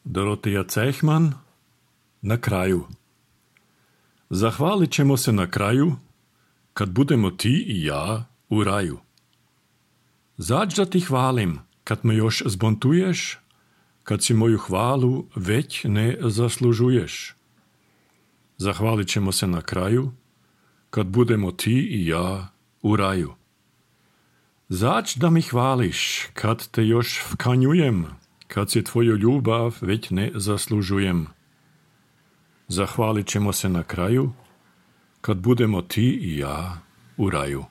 Doroteja Cehman, na kraju. Zahvalit ćemo se na kraju, kad budemo ti i ja u raju. Zađ da ti hvalim, kad me još zbontuješ, kad si moju hvalu već ne zaslužuješ. Zahvalit ćemo se na kraju, kad budemo ti i ja u raju. Zađ da mi hvališ, kad te još vkanjujem, kad si tvoju ljubav već ne zaslužujem. Zahvalit ćemo se na kraju, kad budemo ti i ja u raju.